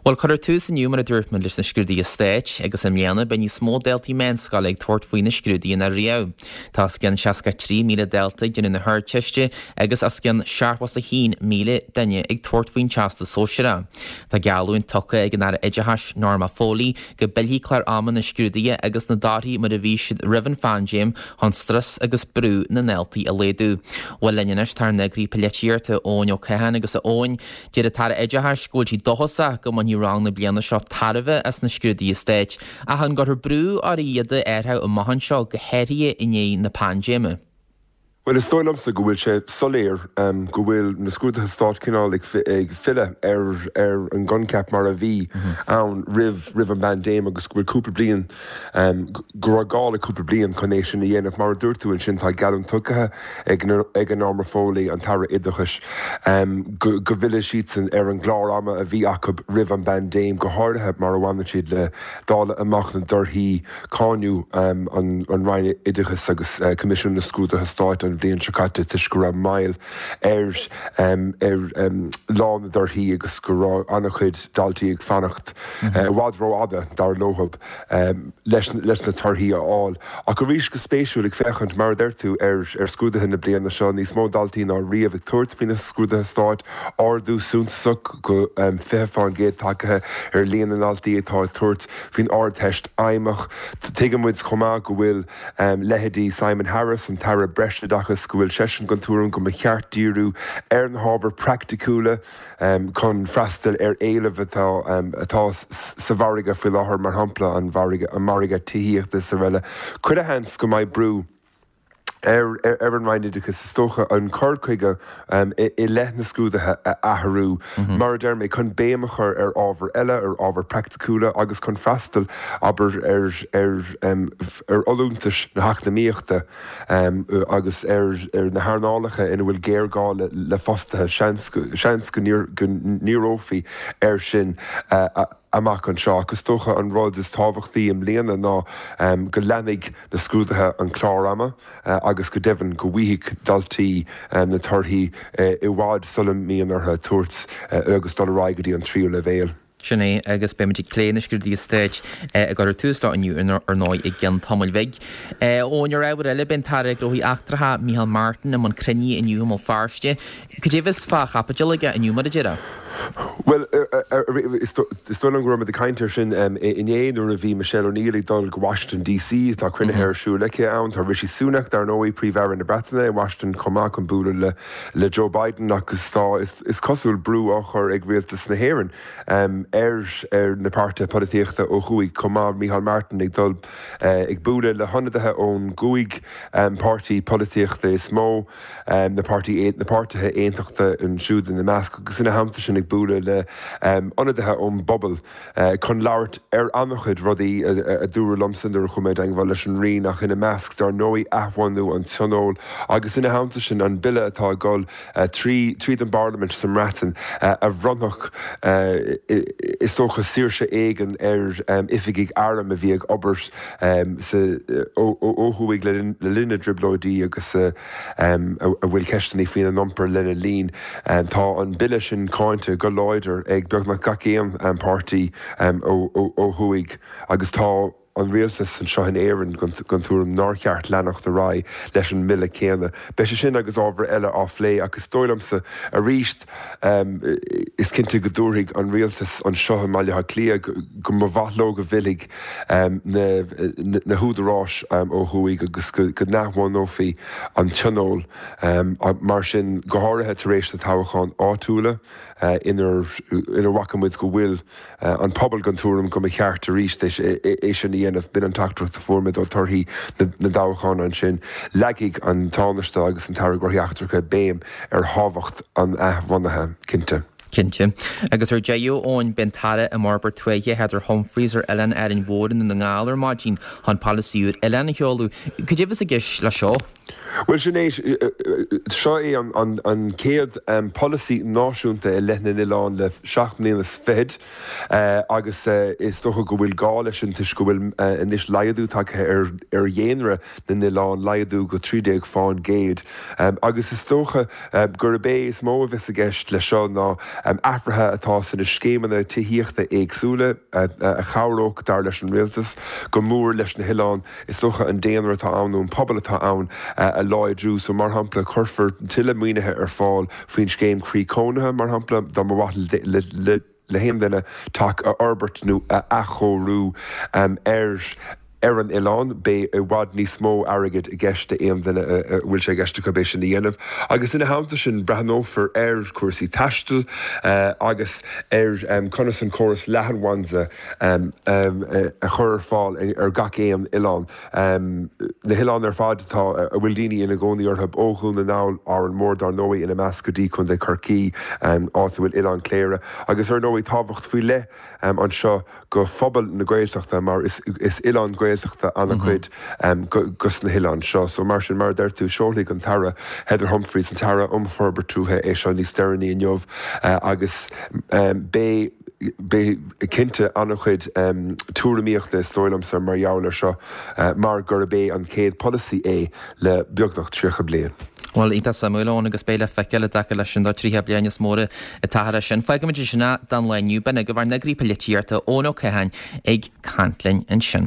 Bhuel, cuirfear tús inniu, mar a dúirt muid, leis na scrúduithe stáit, agus i mbliana beidh níos mó daltaí meánscoile ag tabhairt faoi na scrúduithe ná riamh. Tá os cionn 63,000 dalta ag déanamh na hArdteiste agus os cionn 71,000 duine ag tabhairt faoin Teastas Sóisearach. Tá geallúint tugtha ag an Aire Oideachais, Norma Foley, go bpillfidh clár ama na scrúduithe agus na dtorthaí mar a bhí siad roimh an phaindéim chun strus agus brú na ndaltaí a laghdú. Bhuel linn anois tá ár n-eagraí polaitíochta, Eoin Ó Catháin agus a Eoin, Deir an tAire Oideachais go bhfuil sí dóchasach go mbainfidh rang na bliana seo tairbhe as na scrúduithe stáit, ach an gcuirfear brú orthu iad a athrú amach anseo, go háirithe i ndiaidh na paindéime? Bhuel, is dóigh liomsa go bhfuil sé soiléir go bhfuil na scrúduithe stáit cineál ag filleadh ar ar an gcoincheap mar a bhí ann roimh roimh an bpaindéim agus go bhfuil cúpla bliain go raibh gá le cúpla bliain chun é sin a dhéanamh. Mar a dúirt tú ansin, tá geallúint tugtha ag Norma Foley, an tAire Oideachais, go bhfillfidh siadsan ar an gclár ama a bhí acu roimh an bpaindéim, go háirithe mar a bhaineann siad le dáileadh amach na dtorthaí. Cáineadh an Roinn Oideachais agus Coimisiún na Scrúduithe Stáit an bhliain seo caite toisc go raibh moill ar ar lá na dtorthaí agus go raibh an-chuid daltaí ag fanacht i bhfad rófhada, dar leo, leis na torthaí a fháil. Ach arís, go spéisiúil, ag féachaint, mar a deir tú, ar scrúduithe na bliana seo, níos mó daltaí ná riamh ag tabhairt faoi na scrúduithe stáit, ardú suntasach go 20% tagtha ar líon na ndaltaí atá ag tabhairt faoin Ardteist Fheidhmeach. Tuigeann muid chomh maith go bhfuil leithéidí Simon Harris, an tAire Breisoideachais, go bhfuil seisean den tuairim go mba cheart díriú ar na hábhair praiticiúla, chun freastal ar éileamh atá atá sa mhargadh faoi láthair, mar shampla an margadh tithíochta is araile. Chuile sheans go mbeidh brú ar ar an Roinn Oideachais, is dócha, an cur chuige i leith na scrúduithe a athrú, mar a deir mé, chun béim a chur ar ábhair eile, ar ábhair praiticiúla agus chun freastal, abair, ar ar ar fholúntais na heacnamaíochta. agus ar na hearnálacha ina bhfuil géarghá le fostaithe, seans go ndíreofaí air sin amach anseo. Ach is dócha an rud is tábhachtaí i mbliana ná go leanfaidh na scrúduithe an clár ama agus go deimhin go bhfaighidh daltaí na torthaí i bhfad sula mbíonn orthu tabhairt agus dul ar aghaidh go dtí an tríú leibhéal. Sin é, agus beimid ag plé na scrúduithe stáit a gcuirfear tús leo inniu, ar ndóigh, i gceann tamaill bhig. Eoin, ar ábhar eile, beidh an tAire Gnóthaí Eachtracha, Micheál Martin, i mbun cruinnithe inniu i mBéal Feirste. Cad é a bheas fá chaibidil aige inniu, mar a déarfá? Bhuel, is dóigh liom go raibh muid ag caint air sin inné nuair a bhí Michelle O'Neill ag dul go Washington DC. Tá cruinnithe ar siúl aici ann. Tá Rishi Sunak, dar ndóigh, Príomh-Aire na Breataine, i Washington chomh maith chun bualadh le le Joe Biden agus tá, is cosúil, brú á chur ag rialtas na hÉireann ar na páirtithe polaitíochta ó thuaidh chomh maith. Micheál Martin ag dul ag bualadh le hionadaithe ón gcúig páirtí polaitíochta is mó, na páirtithe aontachtacha ansiúd ina measc, agus ina theannta sin ag bualadh le hionadaithe ón bpobal. chun labhairt ar an-chuid rudaí, a dúradh liomsa nuair a chuaigh mé i dteangmháil leis an Roinn, ach ina measc, dar ndóigh, athbhunú an Tionóil agus ina theannta sin, an bille atá ag dul trí tríd an bParlaimint sa mBreatain a bhronnfadh, is dócha, saoirse éigin ar oifigigh airm a bhí ag obair sa ó thuaidh le linn na dTrioblóidí agus a bhfuil ceisteanna faoina n-iompar lena linn. Tá an bille sin cáinte go láidir ag beagnach gach aon pháirtí ó thuaidh agus tá an rialtas anseo in Éirinn den tuairim nár cheart leanacht ar aghaidh leis an mbille céanna. Beidh sé sin agus ábhair eile á phlé ach is dóigh liomsa arís is cinnte go dtabharfaidh an rialtas anseo i mBaile Átha Cliath go mba mhaith leo go bhfillfidh na húdaráis ó thuaidh agus go n-athbhunófaí an Tionól. Mar sin, go háirithe tar éis na toghcháin áitiúla inar bhfaca muid go bhfuil an pobal den tuairim go mba cheart arís é sin a dhéanamh, b'in an teachtaireacht a fuair muid ó torthaí na dtoghchán ansin. Leagfaidh an Tánaiste agus an tAire Gnóthaí Eachtracha béim ar thábhacht an athbhunaithe, cinnte. Cinnte. Agus ar deireadh, Eoin, beidh an tAire um Fhorbairt Tuaithe, Heather Humphreys, ar Oileán Árainn Mhór i nDún na nGall ar maidin chun polasaí úr oileán a sheoladh. Cad é a bheas i gceist leis seo? Bhuel, sin é, seo é an chéad polasaí náisiúnta i leith na n-oileán le seacht mbliana is fichead agus is dócha go bhfuil gá leis sin toisc go bhfuil anois laghdú tagtha ar dhaonra na n-oileán, laghdú go 13%. Agus is dócha gurb é is mó a bheas i gceist leis seo ná. Athruithe atá sna scéimeanna tithíochta éagsúla a chabhródh, dar leis an Rialtas, go mór leis na hoileáin. Is dócha an daonra atá ann nó an pobal atá ann a láidriú. So, mar shampla, cuirfear tuilleadh maoinithe ar fáil faoin scéim Croí Cónaithe, mar shampla, dá mba mhaith le haon duine teach a fhorbairt nó a athchóiriú ar ar an oileán. Beidh i bhfad níos mó airgid i gceist d'aon duine a bhfuil sé i gceist acu é sin a dhéanamh. Agus ina theannta sin, breathnófar ar chúrsaí taistil agus ar conas an córas leathanbhanda a chur ar fáil ar gach aon oileán. Na hoileáin ar fad atá, a bhfuil daoine ina gcónaí orthu, ó Dhún na nGall, Árainn Mhór dár ndóigh ina measc, go dtí Contae Chorcaí, áit a bhfuil Oileán Cléire. Agus ar ndóigh tábhacht faoi leith anseo go phobal na Gaeltachta mar is oileán Gaeltachta an-chuid dos na hoileáin seo. So mar sin, mar a deir tú, seolfaidh an tAire Heather Humphreys, an tAire um Forbairt Tuaithe é seo níos deireanaí inniu agus beidh, Beidh cinnte an-chuid tuairimíochta is dóigh liomsa mar gheall air seo mar gurb é an chéad polasaí é le beagnach 30 bliain. Bhuel, iontach suimiúil, Eoin, agus beidh le feiceáil i dtaca leis an dá 30 bliain is mór atá leis sin. Fágfaimid ansin é don lá inniu. B'in agaibh ár n-eagraí polaitíochta, Eoin Ó Catháin, ag caint linn ansin.